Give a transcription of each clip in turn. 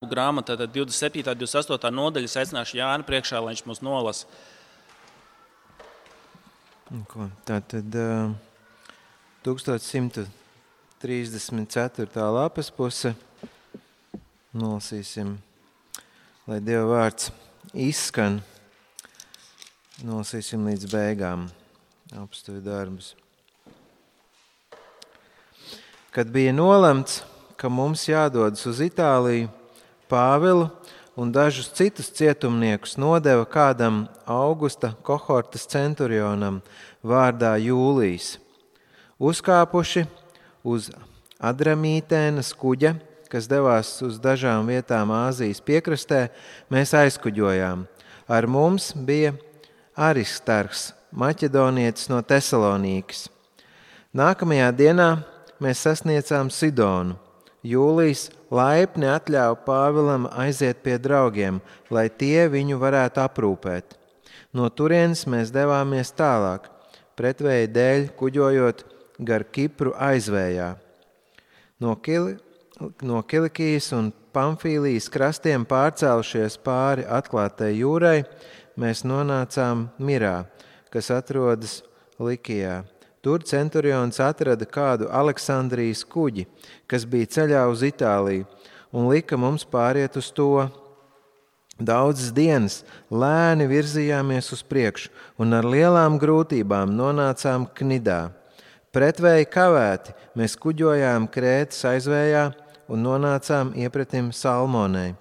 grāmata, tad 27. 28. nodaļas aicināšu Jāni priekšā, lai viņš mūs nolasa. Tātad 1134. lapas puse. Nolasīsim, lai Dieva vārds izskan. Nolasīsim līdz beigām apstuvi darbus. Kad bija nolemts, ka mums jādodas uz Itāliju, Pāvilu un dažus citus cietumniekus nodeva kādam Augusta kohortas centurionam vārdā Jūlijs. Uzkāpuši uz Adramītēnas kuģa, kas devās uz dažām vietām Āzijas piekrastē, mēs aizkuģojām. Ar mums bija Aristarks, maķedonietis no Tesalonīkas. Nākamajā dienā mēs sasniedzām Sidonu. Jūlijs laipni atļāva Pāvilam aiziet pie draugiem, lai tie viņu varētu aprūpēt. No turienes mēs devāmies tālāk, pretvēja dēļ kuģojot gar Kipru aizvējā. No Kilikijas un Pamfīlijas krastiem pārcēlušies pāri atklātai jūrai, mēs nonācām Mirā, kas atrodas Likijā. Tur centurions atrada kādu Aleksandrijas kuģi, kas bija ceļā uz Itāliju, un lika mums pāriet uz to. Daudzas dienas lēni virzījāmies uz priekšu, un ar lielām grūtībām nonācām Knidā. Pretvēji kavēti mēs kuģojām Krētas aizvējā un nonācām iepretim Salmonei.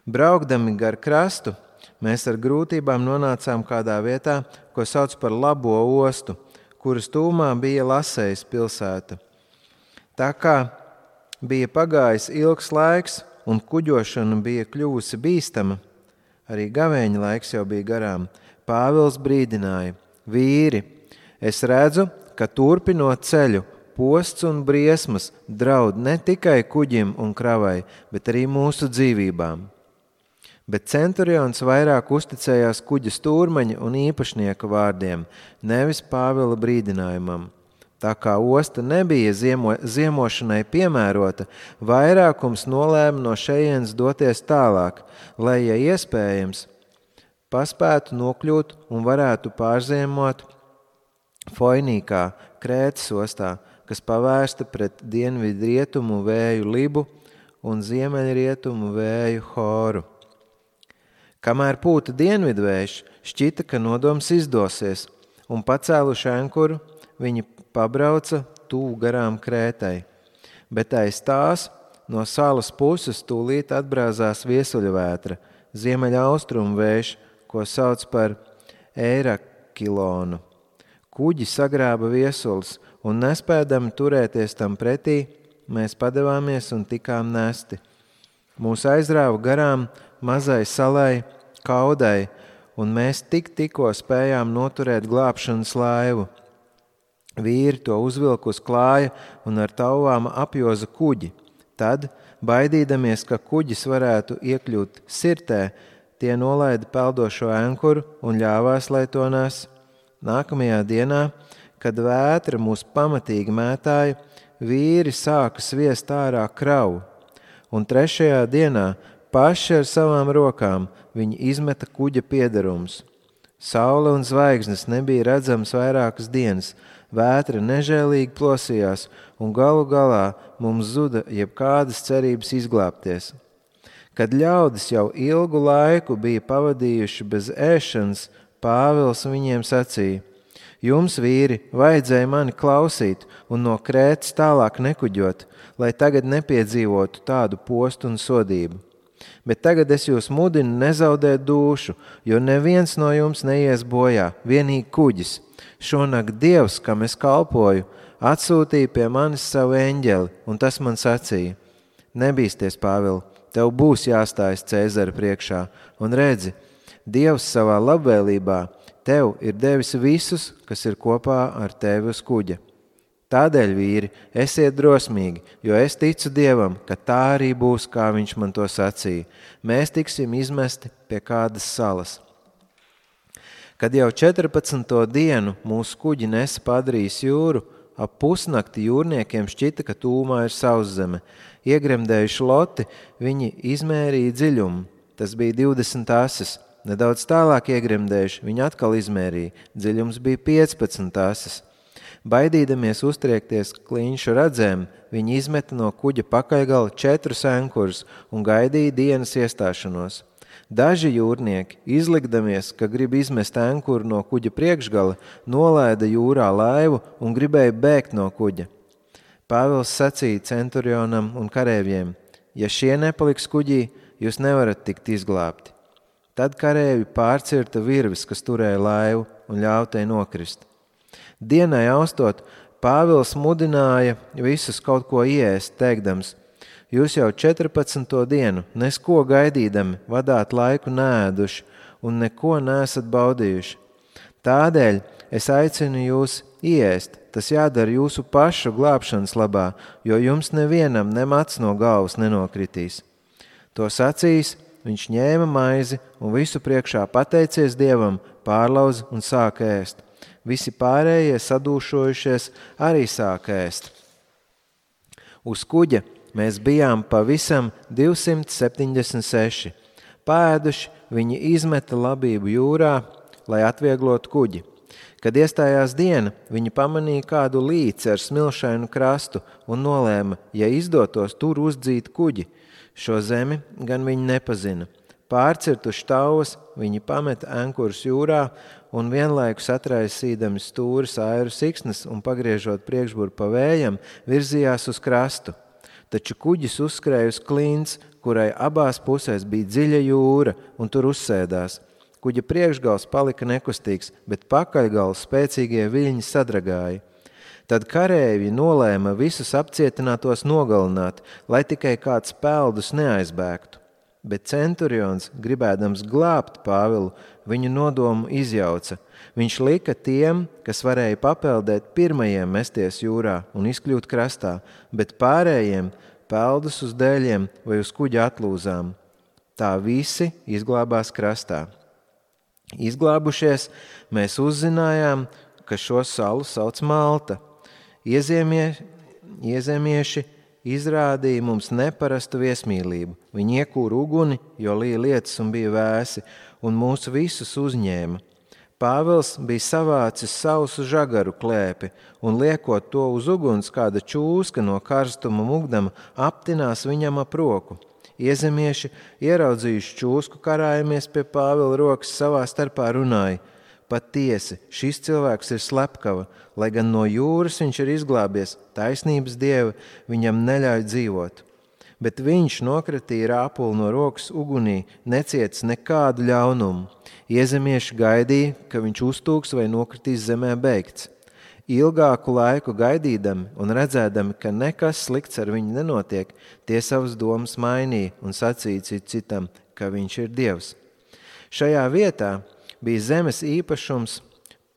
Braukdami gar krastu, mēs ar grūtībām nonācām kādā vietā, ko sauc par Labo ostu, kuras tūmā bija Lasejas pilsēta. Tā kā bija pagājis ilgs laiks un kuģošana bija kļuvusi bīstama, arī gavēņa laiks jau bija garām, Pāvils brīdināja: vīri, es redzu, ka turpinot ceļu, posts un briesmas draud ne tikai kuģim un kravai, bet arī mūsu dzīvībām. Bet centurions vairāk uzticējās kuģa stūrmaņa un īpašnieka vārdiem, nevis Pāvila brīdinājumam. Tā kā osta nebija ziemošanai piemērota, vairākums nolēma no šejienes doties tālāk, lai, ja iespējams, paspētu nokļūt un varētu pārziemot Foinīkā, Krētas ostā, kas pavērsta pret dienvidrietumu vēju Libu un ziemeļrietumu vēju Horu. Kamēr pūta dienvidvējš, šķita, ka nodoms izdosies, un pacēluši ankuru, viņi pabrauca tuvu garām Krētai. Bet aiz tās no salas puses tūlīt atbrāzās viesuļvētra, ziemeļaustrumu vējš, ko sauc par Eirakilonu. Kuģi sagrāba viesulis, un nespēdami turēties tam pretī, mēs padevāmies un tikām nesti. Mūs aizrāva garām mazai salai Kaudai, un mēs tikko spējām noturēt glābšanas laivu. Vīri to uzvilka uz klāja un ar tauvām apjoza kuģi. Tad, baidīdamies, ka kuģis varētu iekļūt Sirtē, tie nolaida peldošo ankuru un ļāvās, lai to nes. Nākamajā dienā, kad vētra mūs pamatīgi mētāja, vīri sāka sviest ārā kravu. Un trešajā dienā paši ar savām rokām viņi izmeta kuģa piederumus. Saule un zvaigznes nebija redzams vairākas dienas, vētra nežēlīgi plosījās, un galu galā mums zuda jebkādas cerības izglābties. Kad ļaudis jau ilgu laiku bija pavadījuši bez ēšanas, Pāvils viņiem sacīja: jums, vīri, vajadzēja mani klausīt un no Krētas tālāk nekuģot, lai tagad nepiedzīvotu tādu postu un sodību. Bet tagad es jūs mudinu nezaudēt dūšu, jo neviens no jums neies bojā, vienīgi kuģis. Šonakt Dievs, kam es kalpoju, atsūtīja pie manis savu eņģeli, un tas man sacīja: nebīsties, Pāvil, tev būs jāstājas Cēzara priekšā, un redzi, Dievs savā labvēlībā tev ir devis visus, kas ir kopā ar tevi uz kuģa. Tādēļ, vīri, esiet drosmīgi, jo es ticu Dievam, ka tā arī būs, kā viņš man to sacīja. Mēs tiksim izmesti pie kādas salas. Kad jau 14. dienu mūsu kuģi nesa Padrijas jūru, ap pusnakti jūrniekiem šķita, ka tūmā ir sauszeme. Iegremdējuši loti, viņi izmērīja dziļumu. Tas bija 20 asis. Nedaudz tālāk iegremdējuši, viņi atkal izmērīja. Dziļums bija 15 asis. Baidīdamies uztriekties kliņšu radzēm, viņi izmeta no kuģa pakaļgala 4 ankurus un gaidīja dienas iestāšanos. Daži jūrnieki, izlikdamies, ka grib izmest ankuru no kuģa priekšgala, nolaida jūrā laivu un gribēja bēgt no kuģa. Pāvils sacīja centurionam un karēvjiem: ja šie nepaliks kuģī, jūs nevarat tikt izglābti. Tad karēvi pārcirta virvis, kas turēja laivu, un ļāva tai nokrist. Dienai austot, Pāvils mudināja visus kaut ko ieēst, teikdams: jūs jau 14. dienu, nesko gaidīdami, vadāt laiku neēduši un neko neesat baudījuši. Tādēļ es aicinu jūs ieēst, tas jādara jūsu pašu glābšanas labā, jo jums nevienam nemats no galvas nenokritīs. To sacījis, viņš ņēma maizi un visu priekšā pateicies Dievam, pārlauza un sāka ēst. Visi pārējie sadūšojušies arī sāka ēst. Uz kuģa mēs bijām pavisam 276. Paēduši, viņi izmeta labību jūrā, lai atvieglotu kuģi. Kad iestājās diena, viņi pamanīja kādu līci ar smilšainu krastu un nolēma, ja izdotos tur uzdzīt kuģi. Šo zemi gan viņi nepazina. Pārcirtuši tauvas, viņi pameta ankurus jūrā un vienlaikus atraisīdami stūris airu siksnas un pagriežot priekšburu pa vējam, virzījās uz krastu. Taču kuģis uzskrēja uz klints, kurai abās pusēs bija dziļa jūra, un tur uzsēdās. Kuģa priekšgals palika nekustīgs, bet pakaļgals spēcīgie viļņi sadragāja. Tad karēvi nolēma visus apcietinātos nogalināt, lai tikai kāds peldus neaizbēgtu. Bet centurions, gribēdams glābt Pāvilu, viņu nodomu izjauca. Viņš lika tiem, kas varēja papeldēt, pirmajiem mesties jūrā un izkļūt krastā, bet pārējiem peldus uz dēļiem vai uz kuģa atlūzām. Tā visi izglābās krastā. Izglābušies, mēs uzzinājām, ka šo salu sauc Malta. Iezemieši izrādīja mums neparastu viesmīlību. Viņi iekūra uguni, jo lija lietus un bija vēsi, un mūs visus uzņēma. Pāvils bija savācis sausu žagaru klēpi, un liekot to uz uguns, kāda čūska no karstuma mugdama aptinās viņam ap roku. Iezemieši, ieraudzījuši čūsku, karājamies pie Pāvila rokas, savā starpā runāja: patiesi, šis cilvēks ir slepkava, lai gan no jūras viņš ir izglābies, taisnības dieva viņam neļauj dzīvot. Bet viņš nokratīja rāpuli no rokas ugunī, necietis nekādu ļaunumu. Iezemieši gaidīja, ka viņš uztūks vai nokritīs zemē beigts. Ilgāku laiku gaidīdami un redzēdami, ka nekas slikts ar viņu nenotiek, tie savas domas mainīja un sacīja citam, ka viņš ir Dievs. Šajā vietā bija zemes īpašums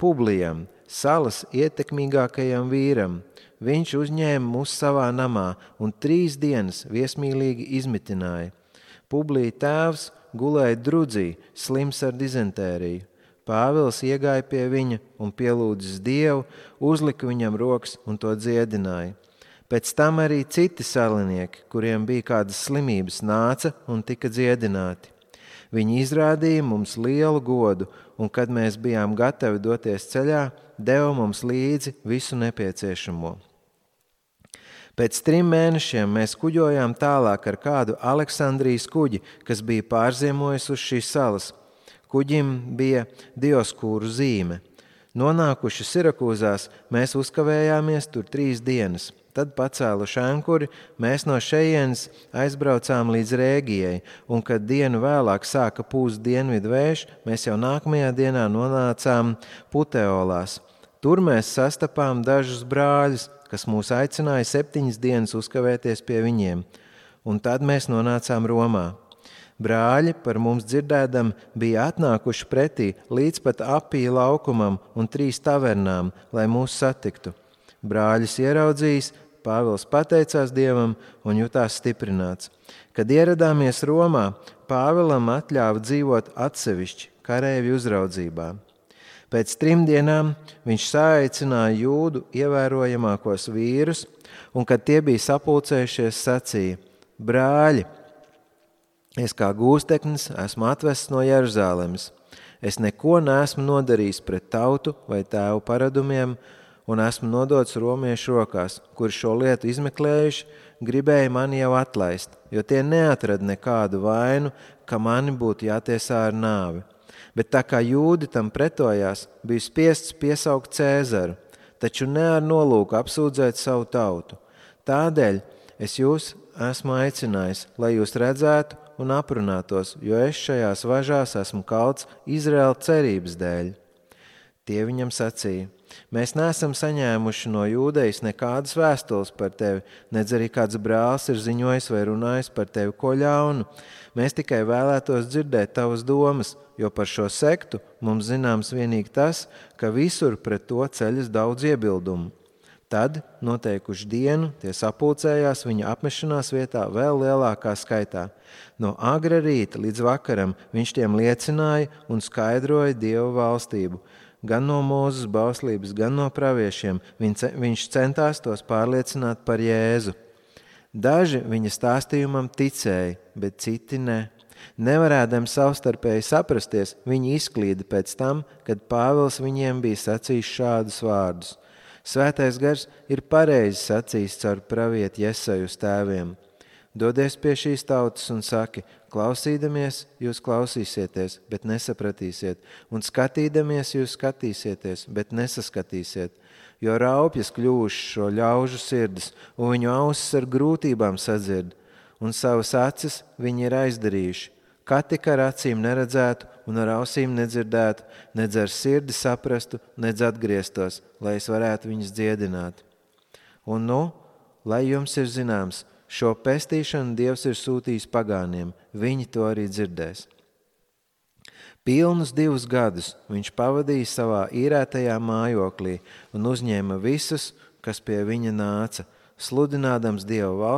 Publijam, salas ietekmīgākajam vīram. Viņš uzņēma mūs savā namā un 3 dienas viesmīlīgi izmitināja. Publija tēvs gulēja drudzī, slims ar dizentēriju. Pāvils iegāja pie viņa un pielūdzis Dievu, uzlika viņam rokas un to dziedināja. Pēc tam arī citi salinieki, kuriem bija kādas slimības, nāca un tika dziedināti. Viņi izrādīja mums lielu godu, un kad mēs bijām gatavi doties ceļā, deva mums līdzi visu nepieciešamo. Pēc 3 mēnešiem mēs kuģojām tālāk ar kādu Aleksandrijas kuģi, kas bija pārziemojis uz šīs salas. Kuģim bija Dioskūru zīme. Nonākuši Sirakūzās, mēs uzkavējāmies tur 3 dienas. Tad pacēluši ankuri, mēs no šejienes aizbraucām līdz Rēgijai, un kad dienu vēlāk sāka pūst dienvidu vējš, mēs jau nākamajā dienā nonācām Puteolās. Tur mēs sastapām dažus brāļus, kas mūs aicināja 7 dienas uzkavēties pie viņiem, un tad mēs nonācām Romā. Brāļi par mums dzirdēdam bija atnākuši pretī līdz pat Apija laukumam un 3 tavernām, lai mūs satiktu. Brāļus ieraudzījis, Pāvils pateicās Dievam un jutās stiprināts. Kad ieradāmies Romā, Pāvilam atļāva dzīvot atsevišķi karēvi uzraudzībā. Pēc 3 dienām viņš saaicināja jūdu ievērojamākos vīrus, un, kad tie bija sapulcējušies, sacīja: brāļi, es kā gūsteknis esmu atvests no Jeruzalemes. Es neko neesmu nodarījis pret tautu vai tēvu paradumiem, un esmu nodots romiešu rokās, kuri šo lietu izmeklējuši, gribēja mani jau atlaist, jo tie neatrada nekādu vainu, ka mani būtu jātiesā ar nāvi. Bet tā kā jūdi tam pretojās, bija spiests piesaukt Cēzaru, taču ne ar nolūku apsūdzēt savu tautu. Tādēļ es jūs esmu aicinājis, lai jūs redzētu un aprunātos, jo es šajās važās esmu kalts Izraēla cerības dēļ. Tie viņam sacīja: mēs neesam saņēmuši no Jūdejas nekādas vēstules par tevi, nedz arī kāds brālis ir ziņojis vai runājis par tevi ko ļaunu. Mēs tikai vēlētos dzirdēt tavas domas, jo par šo sektu mums zināms vienīgi tas, ka visur pret to ceļas daudz iebildumu. Tad, noteikuši dienu, tie sapulcējās viņa apmešanās vietā vēl lielākā skaitā. No agra rīta līdz vakaram viņš tiem liecināja un skaidroja Dieva valstību. Gan no Mūzes bauslības, gan no praviešiem viņš centās tos pārliecināt par Jēzu. Daži viņa stāstījumam ticēja, bet citi ne. Nevarēdami savstarpēji saprasties, viņi izklīda pēc tam, kad Pāvils viņiem bija sacījis šādus vārdus: Svētais gars ir pareizi sacījis caur pravieti Jesaju uz tēviem. Dodies pie šīs tautas un saki: klausīdamies, jūs klausīsieties, bet nesapratīsiet, un skatīdamies, jūs skatīsieties, bet nesaskatīsiet, jo raupjas kļūšu šo ļaužu sirdis, un viņu ausis ar grūtībām sadzird, un savas acis viņi ir aizdarījuši. Kā tik ar acīm neredzētu un ar ausīm nedzirdētu, nedz ar sirdi saprastu, nedz atgrieztos, lai es varētu viņus dziedināt. Un lai jums ir zināms, šo pestīšanu Dievs ir sūtījis pagāniem, viņi to arī dzirdēs. Pilnus 2 gadus viņš pavadīja savā īrētajā mājoklī un uzņēma visus, kas pie viņa nāca, sludinādams Dieva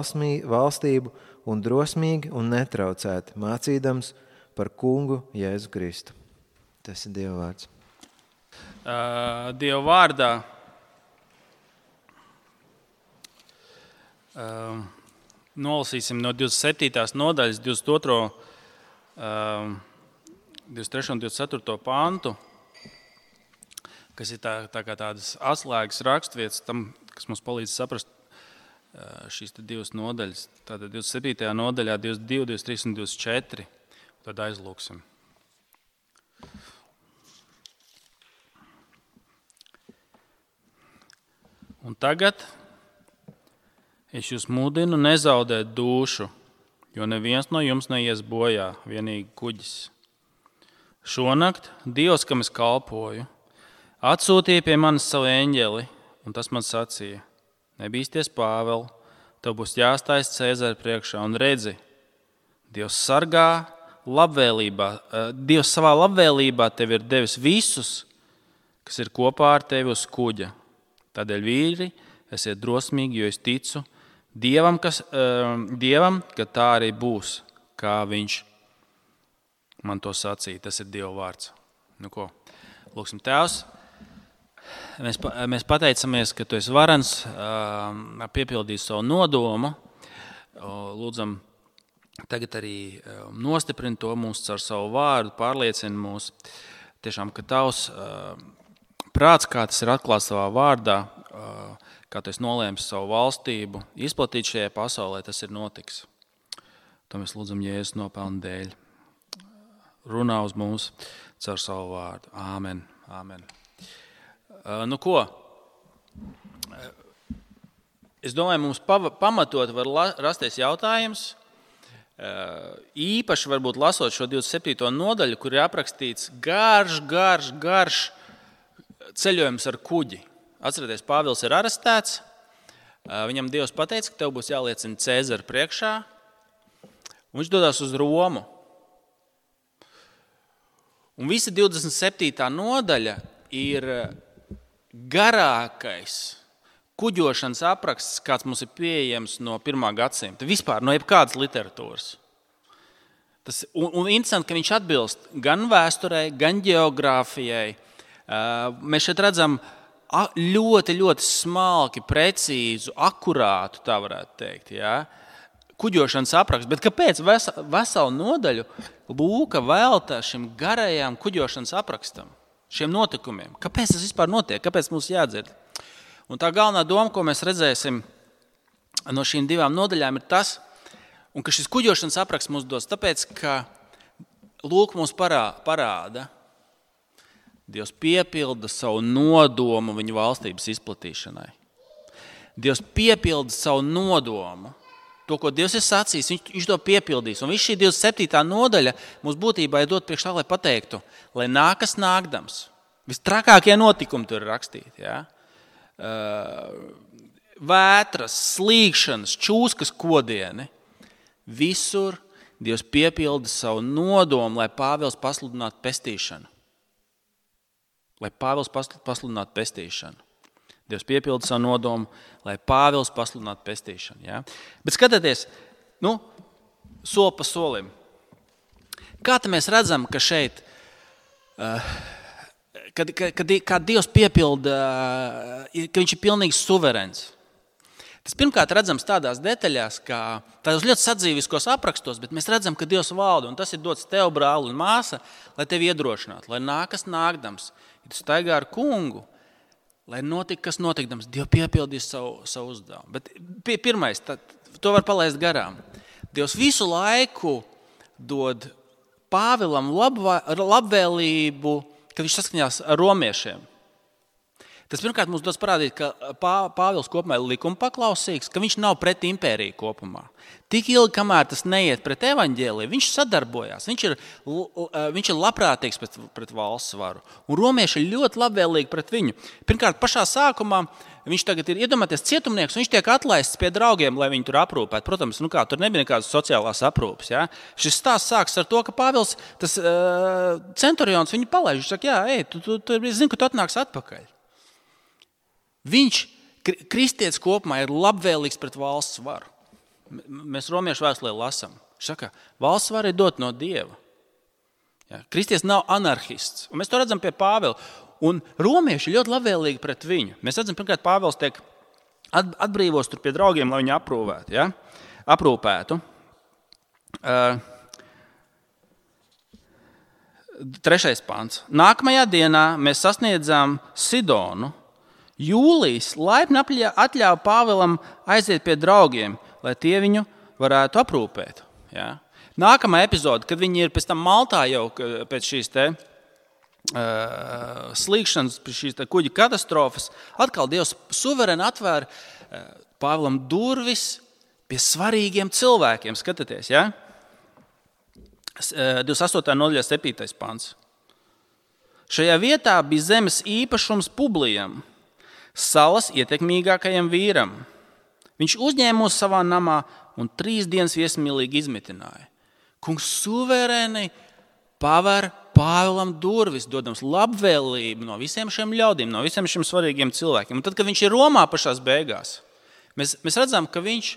valstību un drosmīgi un netraucēti mācīdams par kungu Jēzu Kristu. Tas ir Dieva vārds. Dieva vārdā nolasīsim no 27. nodaļas 22. 23. un 24. pantu, kas ir tā kā tādas atslēgas raksturvietas tam, kas mums palīdz saprast šīs 2 nodaļas. Tātad 27. nodaļā 22, 23 un 24. Tad aizlūksim. Un tagad es jūs mudinu nezaudēt dūšu, jo neviens no jums neies bojā, vienīgi kuģis. Šonakt Dievs, kam es kalpoju, atsūtīja pie manis savu eņģeli, un tas man sacīja: nebīsties, Pāvel, tev būs jāstājas Cēzara priekšā, un redzi, Dievs sargā labvēlībā. Dievs savā labvēlībā tev ir devis visus, kas ir kopā ar tevi uz kuģa. Tādēļ, vīri, esiet drosmīgi, jo es ticu Dievam, ka tā arī būs, kā viņš man to sacīja. Tas ir Dieva vārds. Nu ko, lūksim, Tēvs. Mēs pateicamies, ka Tu esi varens piepildīt savu nodomu. Lūdzam, tagad arī nostiprini to mūs caur savu vārdu, pārliecini mūs. Tiešām, ka Tavs prāts, kā tas ir atklāts Tavā vārdā, kā Tu esi nolēmis savu valstību izplatīt šajā pasaulē, tas ir notiks. To mēs lūdzam Jēzus nopelnu dēļ. Runā uz mums caur savu vārdu. Āmen. Āmen. Nu ko, es domāju, mums pamatot var rasties jautājums, īpaši varbūt lasot šo 27. nodaļu, kur ir aprakstīts garš ceļojums ar kuģi. Atcerieties, Pāvils ir arestēts, viņam Dievs pateica, ka tev būs jāliecina Cēzara priekšā, un viņš dodas uz Romu. Un visa 27. nodaļa ir garākais kuģošanas apraksts, kāds mums ir pieejams no 1. gadsimta, vispār no jebkādas literatūras. Un interesanti, ka viņš atbilst gan vēsturei, gan geogrāfijai, Mēs šeit redzam ļoti, ļoti smalki, precīzu, akurātu, tā varētu teikt, kuģošanas aprakstu. Bet kāpēc veselu nodaļu Lūka veltā šim garajām kuģošanas aprakstam, šiem notikumiem? Kāpēc tas vispār notiek? Kāpēc mums jādzird? Un tā galvenā doma, ko mēs redzēsim no šīm divām nodaļām, ir tas, un ka šis kuģošanas apraksts mums dos, tāpēc, ka Lūk mums parāda, Dievs piepilda savu nodomu viņu valstības izplatīšanai. Dievs piepilda savu nodomu. To, ko Dievs ir sacījis, viņš to piepildīs. Un viss šī 27. nodaļa mums būtībā ir dot priekš tā, lai pateiktu, lai nākas nākdams. Vistrakākie notikumi tur ir rakstīti. Vētras, slīgšanas, čūskas kodieni. Visur Dievs piepilda savu nodomu, lai Pāvils pasludinātu pestīšanu. Dievs piepilda savu nodomu, lai Pāvils pasludinātu pestīšanu. Ja? Bet skatieties, soli pa solim. Kā mēs redzam, ka šeit, kad Dievs piepilda, ka viņš ir pilnīgi suverēns. Tas pirmkārt redzams tādās detaļās, kā tādos ļoti sadzīviskos aprakstos, bet mēs redzam, ka Dievs valda, un tas ir dots tev, brāli un māsa, lai tevi iedrošinātu, lai nākas nākdams, ja tu staigā ar kungu, lai notika, kas notikdams, Dievs piepildīs savu uzdevumu. Bet pirmais, to var palaist garām. Dievs visu laiku dod Pāvilam labvēlību, kad viņš saskaņās ar romiešiem. Tas pirmkārt mums dos parādīt, ka Pāvils kopumā ir likuma paklausīgs, ka viņš nav pret impēriju kopumā. Tik ilgi, kamēr tas neiet pret evaņģēliju, viņš sadarbojās, viņš ir labprātīgs pret valsts varu. Un romieši ir ļoti labvēlīgi pret viņu. Pirmkārt, pašā sākumā viņš tagad ir iedomāties cietumnieks, un viņš tiek atlaists pie draugiem, lai viņu tur aprūpētu. Protams, tur nebija nekādas sociālās aprūpes. Ja? Šis stāsts sāks ar to, ka Pāvils, tas centurions, viņu palaiž. Viņš saka, tu zini, ka tu atnāks atpakaļ. Viņš, kristietis kopumā, ir labvēlīgs pret valsts varu. Mēs romiešu vēstulē lasām. Viņš saka, valsts vara ir dot no Dieva. Ja? Kristietis nav anarhists. Un mēs to redzam pie Pāvila. Un romieši ir ļoti labvēlīgi pret viņu. Mēs redzam, pirmkārt, Pāvils tiek atbrīvos tur pie draugiem, lai viņu aprūpētu. 3. pants. Nākamajā dienā mēs sasniedzām Sidonu. Jūlijs laipni atļāva Pāvilam aiziet pie draugiem, lai tie viņu varētu aprūpēt. Ja? Nākamā epizode, kad viņi ir pēc tam Maltā jau pēc šīs slīgšanas, pēc šīs kuģa katastrofas, atkal Dievs suverēni atvēra Pāvilam durvis pie svarīgiem cilvēkiem. Skatieties, ja? 28. nodaļā 7. pants. Šajā vietā bija zemes īpašums Publijam, salas ietekmīgākajam vīram. Viņš uzņēma mūs savā namā un 3 dienas viesmīlīgi izmitināja. Kungs suverēni paver Pāvilam durvis, dodams labvēlību no visiem šiem ļaudīm, no visiem šiem svarīgiem cilvēkiem. Un tad, kad viņš ir Romā pašās beigās, mēs redzam, ka viņš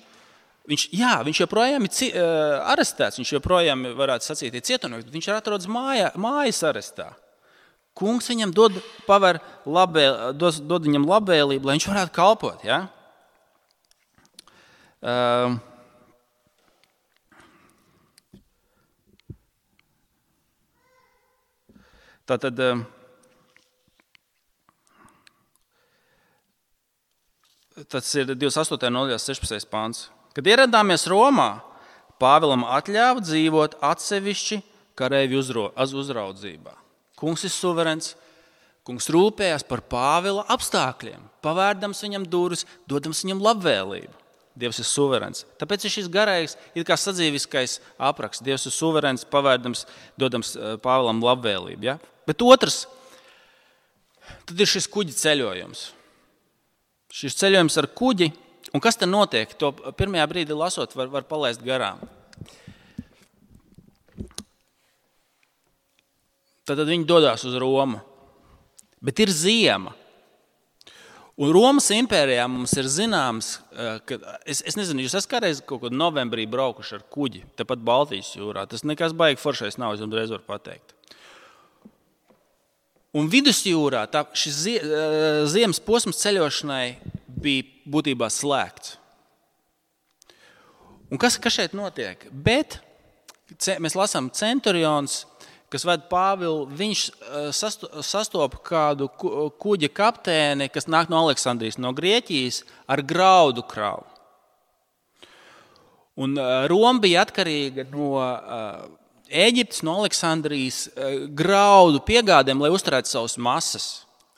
joprojām ir arestēts, viņš joprojām, varētu sacīt, ir cietumnieks, bet viņš ir atrodas mājas arestā. Kungs viņam dod viņam labvēlību, lai viņš varētu kalpot. Ja? Tātad tas ir 28. nodaļā 16. pāns. Kad ieradāmies Romā, Pāvilam atļāva dzīvot atsevišķi kareivju uzraudzībā. Kungs ir suverēns, kungs rūpējās par Pāvila apstākļiem, pavērdams viņam durvis, dodams viņam labvēlību. Dievs ir suverēns. Tāpēc ir šis garais, ir kā sadzīviskais apraksts. Dievs ir suverēns, pavērdams, dodams Pāvilam labvēlību. Ja? Bet otrs, tad ir šis kuģi ceļojums. Šis ceļojums ar kuģi, un kas te notiek, to pirmajā brīdī lasot var palaist garām. Tad viņi dodās uz Romu. Bet ir ziema. Un Romas impērijā mums ir zināms, ka, es nezinu, jūs esat kādreiz kaut kādā novembrī braukuši ar kuģi, tepat Baltijas jūrā. Tas nekas baigi foršais nav, es jums reiz varu pateikt. Un vidusjūrā šis ziemas posms ceļošanai bija būtībā slēgts. Un kas šeit notiek? Bet mēs lasām centurions, kas ved Pāvilu, viņš sastopa kādu kuģa kapteini, kas nāk no Aleksandrijas, no Grieķijas, ar graudu kravu. Un Roma bija atkarīga no Ēģiptes, no Aleksandrijas graudu piegādēm, lai uzturētu savas masas.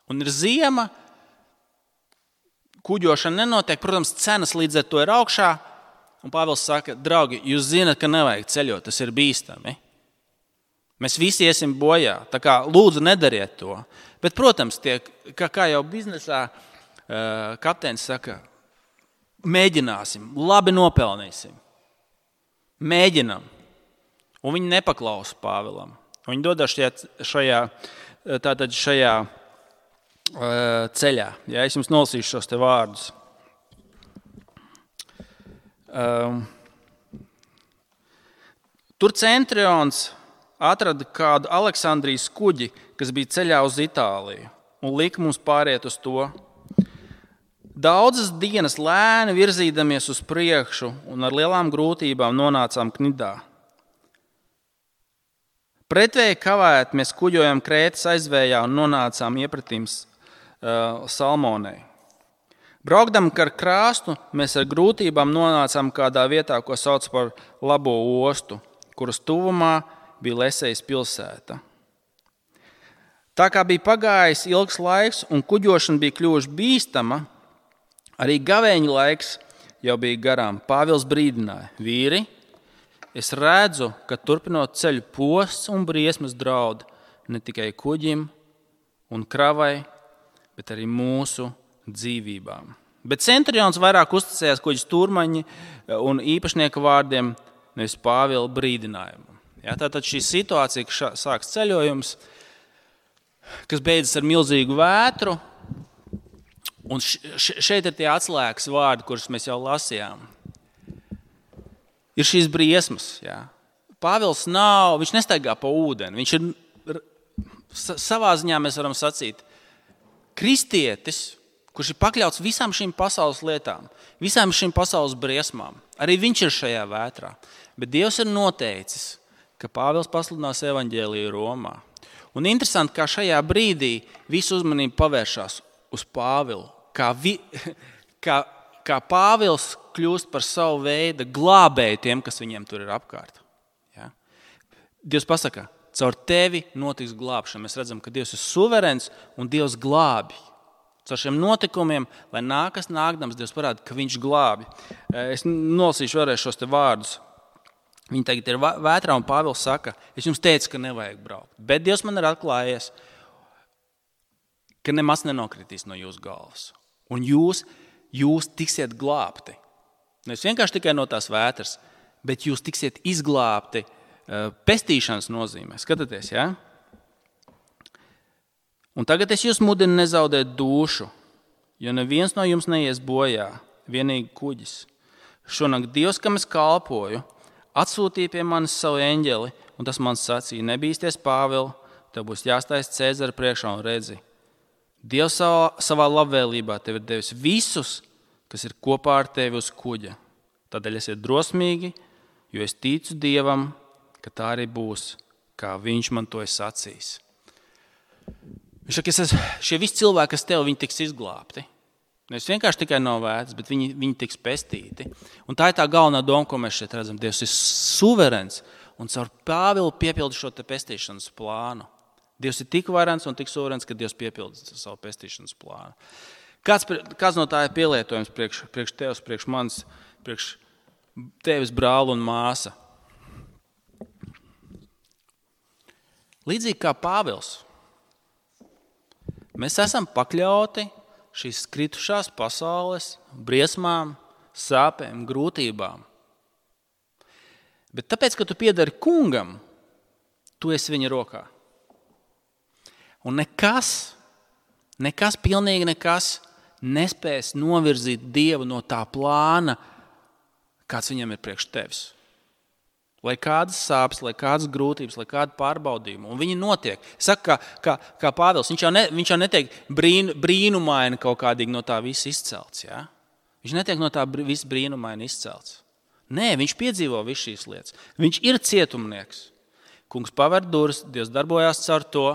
Un ir ziema, kuģošana nenotiek, protams, cenas līdz ar to ir augšā. Un Pāvils saka, draugi, jūs zināt, ka nevajag ceļot, tas ir bīstami. Mēs visi iesim bojā, tā kā lūdzu nedariet to. Bet, protams, kā jau biznesā kapteinis saka, mēģināsim, labi nopelnīsim. Mēģinam. Un viņi nepaklausa Pāvilam. Viņi dodas šajā ceļā. Ja, es jums nolasīšu šos te vārdus. Tur centurions atrada kādu Aleksandrijas kuģi, kas bija ceļā uz Itāliju, un lika mums pāriet uz to. Daudzas dienas lēni virzīdamies uz priekšu un ar lielām grūtībām nonācām Knidā. Pretvēji kavēt mēs kuģojam Krētas aizvējā un nonācām iepratīm Salmonei. Braukdam ar krāstu, mēs ar grūtībām nonācām kādā vietā, ko sauc par Labo ostu, kuras tuvumā bija Lesejas pilsēta. Tā kā bija pagājis ilgs laiks un kuģošana bija kļuvuši bīstama, arī gavēņa laiks jau bija garām. Pāvils brīdināja: vīri, es redzu, ka turpinot ceļu posts un briesmas draud ne tikai kuģim un kravai, bet arī mūsu dzīvībām. Bet centurions vairāk uzticējās kuģa stūrmaņa un īpašnieka vārdiem, nevis Pāvila brīdinājumu. Ja, tātad šī situācija, ka sāks ceļojums, kas beidzas ar milzīgu vētru, un šeit ir tie atslēgas vārdi, kurus mēs jau lasījām. Ir šīs briesmas. Ja. Pāvils viņš nestaigā pa ūdeni. Viņš ir savā ziņā, mēs varam sacīt, kristietis, kurš ir pakļauts visām šīm pasaules lietām, visām šīm pasaules briesmām. Arī viņš ir šajā vētrā. Bet Dievs ir noteicis, ka Pāvils pasludinās evaņģēliju Romā. Un interesanti, kā šajā brīdī visu uzmanību pavēršās uz Pāvilu. Kā Pāvils kļūst par savu veidu glābēju tiem, kas viņiem tur ir apkārt. Ja? Dievs pasaka, caur tevi notiks glābšana. Mēs redzam, ka Dievs ir suverēns un Dievs glābi. Caur šiem notikumiem, lai nākas nākdams, Dievs parāda, ka viņš glābi. Es nolasīšu vēlreiz šos te vārdus. Viņi tagad ir vētrā un Pāvils saka, es jums teicu, ka nevajag braukt. Bet Dievs man ir atklājies, ka nemaz nenokritīs no jūsu galvas. Un jūs tiksiet glābti. Nevis vienkārši tikai no tās vētras, bet jūs tiksiet izglābti pestīšanas nozīmē. Skatieties, ja? Un tagad es jūs mudinu nezaudēt dušu, jo neviens no jums neies bojā, vienīgi kuģis. Šonakt Dievs, kam es kalpoju, atsūtīja pie manis savu eņģeli, un tas man sacīja: nebīsties, Pāvil, tev būs jāstājas Cēzara priekšā un redzi. Dievs savā labvēlībā tev ir devis visus, kas ir kopā ar tevi uz kuģa. Tādēļ esiet drosmīgi, jo es ticu Dievam, ka tā arī būs, kā viņš man to ir sacījis. Viņš saka, šie visi cilvēki, kas tev, viņi tiks izglābti. Nevis vienkārši tikai no vētras, bet viņi tiks pestīti. Un tā ir tā galvenā doma, ko mēs šeit redzam. Dievs ir suverēns un caur Pāvilu piepilda šo te pestīšanas plānu. Dievs ir tik varens un tik suverēns, ka Dievs piepilda savu pestīšanas plānu. Kāds no tā ir pielietojums priekš tevis, priekš manis, priekš tevis brāli un māsa? Līdzīgi kā Pāvils, mēs esam pakļauti šīs kritušās pasaules briesmām, sāpēm, grūtībām. Bet tāpēc, ka tu piedari kungam, tu esi viņa rokā. Un pilnīgi nekas nespēs novirzīt Dievu no tā plāna, kāds viņam ir priekš tevis. Lai kādas sāpes, lai kādas grūtības, lai kāda pārbaudījuma. Un viņi notiek. Saka, kā Pāvils, viņš jau netiek brīnumaini kaut kādīgi no tā visa izcelts. Ja? Viņš netiek no tā visa brīnumaini izcelts. Nē, viņš piedzīvo visu šīs lietas. Viņš ir cietumnieks. Kungs paver durvis, Dievs darbojās caur to,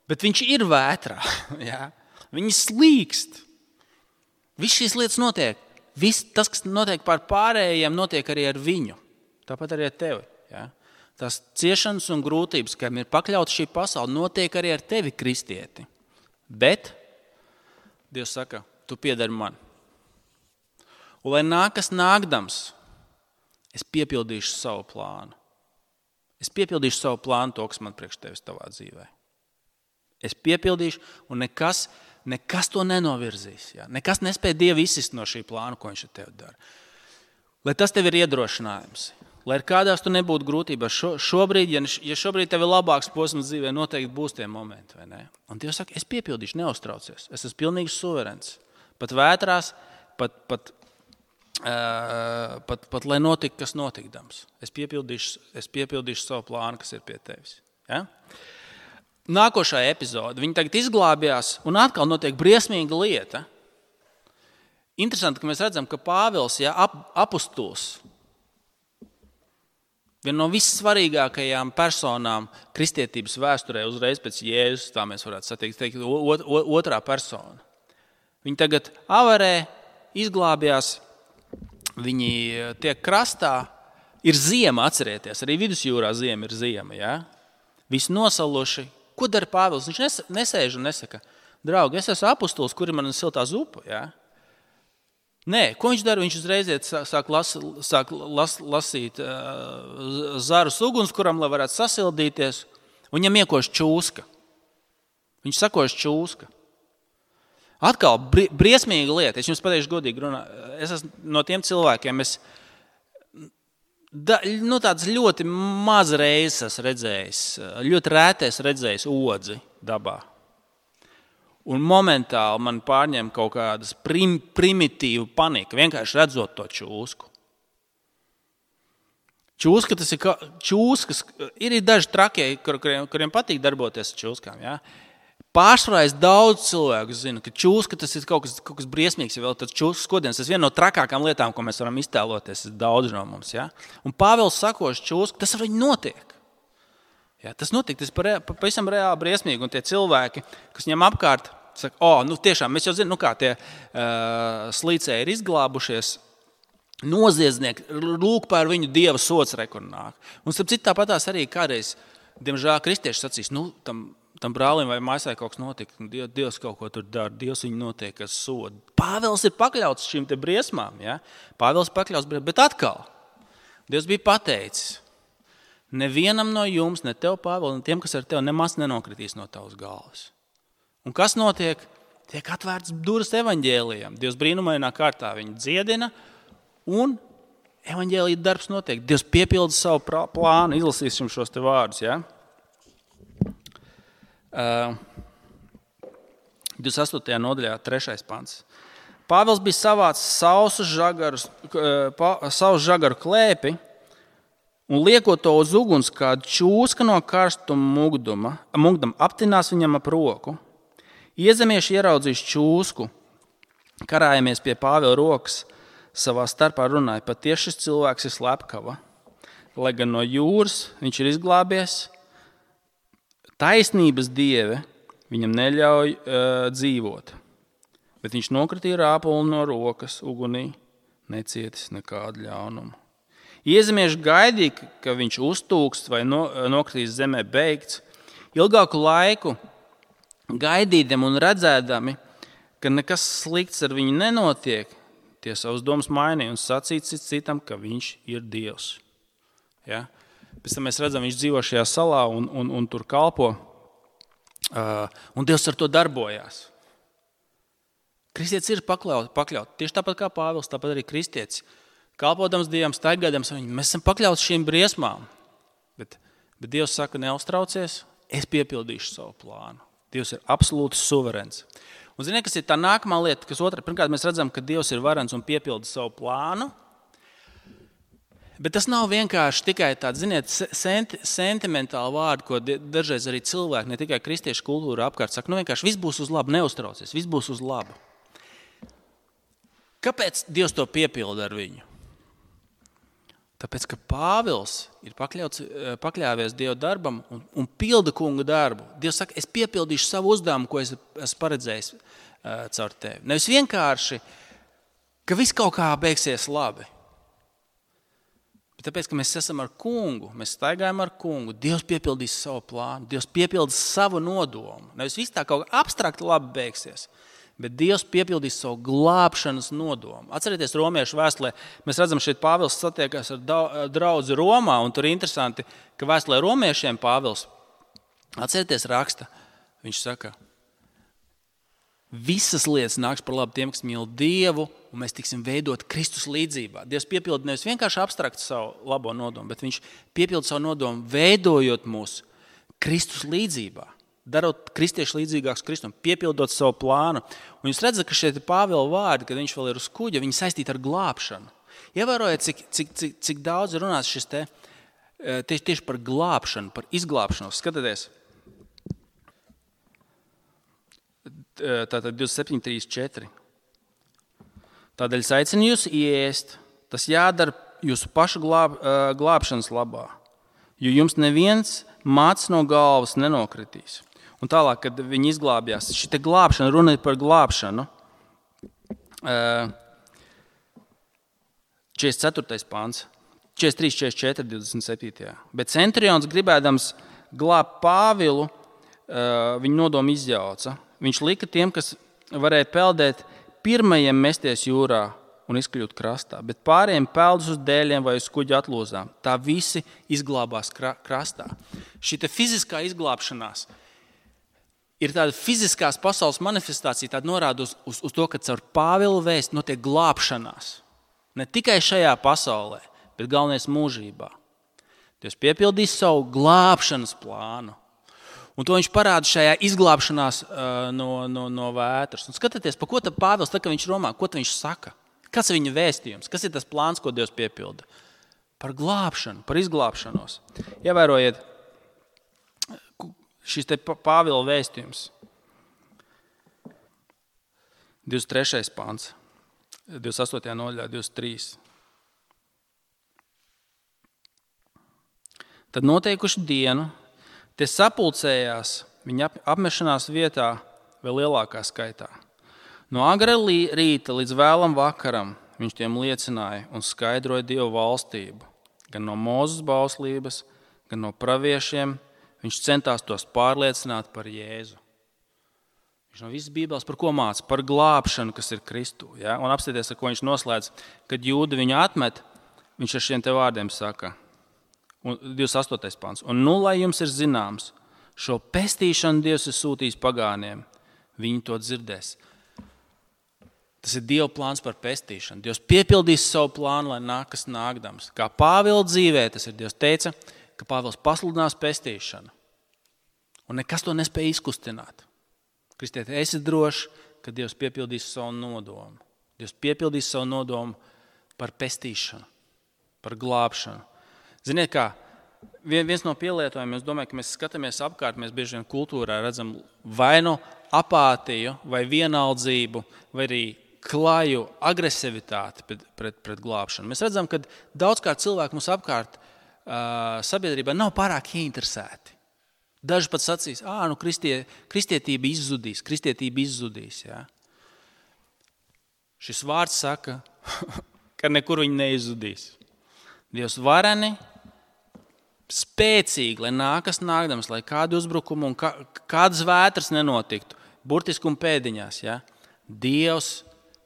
bet viņš ir vētrā. Ja? Viņi slīkst. Viss šīs lietas notiek. Viss tas, kas notiek pār pārējiem, notiek arī ar viņu. Tāpat arī ar tevi. Ja? Tās ciešanas un grūtības, kam ir pakļauta šī pasaule, notiek arī ar tevi, kristieti. Bet Dievs saka, tu piedari man. Un lai nāk, kas nākdams, es piepildīšu savu plānu. Es piepildīšu savu plānu, to, kas man priekš tevis tavā dzīvē. Es piepildīšu, un nekas to nenovirzīs. Ja? Nekas nespēja Dievu izsist no šī plāna, ko viņš ar tevi dara. Lai tas tev ir iedrošinājums. Lai ir kādās tu nebūtu grūtībās. Šobrīd, ja šobrīd tev ir labāks posms dzīvē, noteikti būs tie momenti. Vai ne? Un Dievs saka, es piepildīšu, neuztraucies. Es esmu pilnīgi suverēns. Pat vētrās, pat lai notika, kas notikdams. Es piepildīšu savu plānu, kas ir pie tevis. Ja? Nākošā epizode. Viņi tagad izglābjās un atkal notiek briesmīga lieta. Interesanti, ka mēs redzam, ka Pāvils, apustulis, viena no vissvarīgākajām personām kristietības vēsturē uzreiz pēc Jēzus, tā mēs varētu teikt, otrā persona. Viņi tagad avarē, izglābjās, viņi tiek krastā, ir ziema, atcerieties, arī vidusjūrā ziema ir ziema, ja? Visi nosaluši. Ko dara Pāvils? Viņš nesēž un nesaka, draugi, es esmu apustulis, kur ir mana siltā zupa, ja? Nē, ko viņš dara? Viņš uzreiz sāk lasīt zarus ugunskuram, lai varētu sasildīties. Viņam iekož čūska. Viņš sakož čūska. Atkal briesmīga lieta. Es jums pateikšu godīgi runā. Es esmu no tiem cilvēkiem, tāds ļoti maz reizes redzējis, ļoti rētais redzējis odzi dabā. Un momentāli man pārņem kaut kādas primitīva panika, vienkārši redzot to čūsku. Čūskas ir daži trakie, kuriem patīk darboties ar čūskām. Ja? Pārsvarā daudz cilvēku zina, ka čūska tas ir kaut kas briesmīgs, ja vēl tāds čūskas skodiens. Tas ir viena no trakākām lietām, ko mēs varam iztēloties, daudz no mums. Ja? Un Pāvils sakoš čūsku, tas ar viņu notiek. Ja, tas notika, tas pavisam reāli briesmīgi, un tie cilvēki, kas viņam apkārt, saka, tiešām, mēs jau zinām, kā tie slīcēji ir izglābušies, noziedznieki, lūk par viņu Dieva sots rekurnāk. Un starp citu tāpatās arī kādreiz, diemžēl, kristieši sacīs, tam brālim vai maisai kaut kas notika, Dievs kaut ko tur dara, Dievs viņu notiek, kas soda. Pāvils ir pakļauts šīm te briesmām, ja? Pāvils pakļauts briesmām, bet atkal, Dievs bija pateicis, nevienam no jums, ne tev, Pāvils, ne tiem, kas ar tevi, nemaz nenokritīs no tavas galvas. Un kas notiek? Tiek atvērts durvis evaņģēlijam. Dievs brīnumainā kārtā viņu dziedina, un evaņģēlija darbs notiek. Dievs piepilda savu plānu. Izlasīsim šos te vārdus. Ja? 28. nodaļā, 3. pants. Pāvils bija savācis savu žagaru klēpi, un liekot to uz uguns, kādu čūska no karstuma mugdam aptinās viņam ap roku. Iezemieši ieraudzījis čūsku, karājamies pie Pāvila rokas, savā starpā runāja, patiesi šis cilvēks ir slepkava. Lai gan no jūras viņš ir izglābies, taisnības dieve viņam neļauj dzīvot. Bet viņš nokritīja rāpuli no rokas ugunī, necietis nekādu ļaunumu. Iezemieši gaidīja, ka viņš uztūkst vai nokritīs zemē beigts. Ilgāku laiku gaidīdami un redzēdami, ka nekas slikts ar viņu nenotiek, tie savus domas mainīja un sacīja citam, ka viņš ir Dievs. Ja? Pēc tam mēs redzam, viņš dzīvo šajā salā un tur kalpo, un Dievs ar to darbojās. Kristietis ir pakļauts. Tieši tāpat kā Pāvils, tāpat arī kristietis. Kalpodams Dievam, staigādams viņu. Mēs esam pakļauts šīm briesmām. Bet Dievs saka, neuztraucies, es piepildīšu savu plānu. Dievs ir absolūti suverēns. Un ziniet, kas ir tā nākamā lieta, kas otrā? Pirmkārt, mēs redzam, ka Dievs ir varens un piepilda savu plānu. Bet tas nav vienkārši tikai tāds, ziniet, sentimentāli vārdi, ko dažreiz arī cilvēki, ne tikai kristiešu kultūra apkārt saka, vienkārši viss būs uz labu, neuztraucies, viss būs uz labu. Kāpēc Dievs to piepilda ar viņu? Tāpēc, ka Pāvils ir pakļāvies Dieva darbam un pilda kunga darbu. Dievs saka, es piepildīšu savu uzdevumu, ko es esmu paredzējis caur tevi. Nevis vienkārši, ka viss kaut kā beigsies labi. Bet tāpēc, ka mēs esam ar kungu, mēs staigājam ar kungu, Dievs piepildīs savu plānu, Dievs piepildīs savu nodomu. Nevis viss tā kaut kā abstrakti labi beigsies. Bet Dievs piepildīs savu glābšanas nodomu. Atcerieties, romiešu vēstulē, mēs redzam, šeit Pāvils satiekās ar draudzi Romā, un tur ir interesanti, ka vēstulē romiešiem Pāvils, atcerieties, raksta, viņš saka, visas lietas nāks par labu tiem, kas mīl Dievu, un mēs tiksim veidot Kristus līdzībā. Dievs piepilda nevis vienkārši abstrakt savu labo nodomu, bet viņš piepilda savu nodomu, veidojot mūs Kristus līdzībā. Darot kristiešu līdzīgākus Kristum, piepildot savu plānu. Un jūs redzat, ka šeit ir Pāvila vārdi, kad viņš vēl ir uz kuģa, viņi saistīti ar glābšanu. Ievērojiet, cik daudz ir runāts šis tieši par glābšanu, par izglābšanos. Skatieties, tātad 27.3.4. Tādēļ es aicinu jūs ieēst, tas jādara jūsu pašu glābšanas labā, jo jums neviens mācis no galvas nenokritīs. Un tālāk, kad viņi izglābjās, šī glābšana, runa ir par glābšanu. 44. pāns, 43, 44, 27. Bet centurions, gribēdams glābt Pāvilu, viņu nodomu izjauca. Viņš lika tiem, kas varēja peldēt, pirmajiem mesties jūrā un izkļūt krastā, bet pārējiem peldus uz dēļiem vai uz kuģa atlūzām. Tā visi izglābās krastā. Šī fiziskā izglābšanās ir tāda fiziskās pasaules manifestācija, tāda norāda uz to, ka caur Pāvila vēsti notiek glābšanās. Ne tikai šajā pasaulē, bet galvenais mūžībā. Dievs piepildīs savu glābšanas plānu. Un to viņš parāda šajā izglābšanās no vētras. Un skatieties, pa ko tad Pāvils, tā, ka viņš romā, ko viņš saka? Kas ir viņa vēstījums? Kas ir tas plāns, ko Dievs piepilda? Par glābšanu, par izglābšanos. Ievērojiet, šis te Pāvila vēstījums. 23. pāns, 28. nodaļā, 23. Tad noteikuši dienu, tie sapulcējās viņa apmešanās vietā vēl lielākā skaitā. No agra rīta līdz vēlam vakaram viņš tiem liecināja un skaidroja Dievu valstību. Gan no Mūzes bauslības, gan no praviešiem. Viņš centās tos pārliecināt par Jēzu. Viņš no visas Bībeles par ko māca? Par glābšanu, kas ir Kristū. Ja? Un apstāties, ar ko viņš noslēdz, kad jūdi viņu atmet, viņš ar šiem te vārdiem saka. 28. pāns. Un nu, lai jums ir zināms, šo pestīšanu Dievs ir sūtījis pagāniem. Viņi to dzirdēs. Tas ir Dieva plāns par pestīšanu. Dievs piepildīs savu plānu, lai nākas nākdams. Kā Pāvila dzīvē, tas ir Dievs teica, ka Pāvils pasludinās pestīšanu. Un nekas to nespēja izkustināt. Kristieti, esi drošs, ka Dievs piepildīs savu nodomu. Dievs piepildīs savu nodomu par pestīšanu, par glābšanu. Ziniet kā, viens no pielietojumiem, es domāju, ka mēs skatāmies apkārt, mēs bieži vien kultūrā redzam vai no apātiju, vai vienaldzību, vai arī klaju agresivitāti pret glābšanu. Mēs redzam, ka daudzkārt cilvēki mums apkārt sabiedrībā nav pārāk ieinteresēti. Daži pat sacīs, kristietība izzudīs. Ja? Šis vārds saka, ka nekur viņi neizzudīs. Dievs vareni, spēcīgi, lai nākas nākdams, lai kādu uzbrukumu un kādas vētras nenotiktu, burtiski un pēdiņās. Ja? Dievs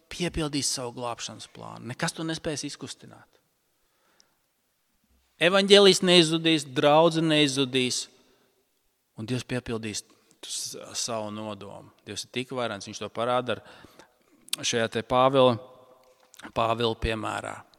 piepildīs savu glābšanas plānu. Nekas to nespēs izkustināt. Evaņģēlijs neizzudīs, draudze neizzudīs, un Dievs piepildīs savu nodomu. Dievs ir tik varens, viņš to parāda ar šajā te Pāvila piemērā.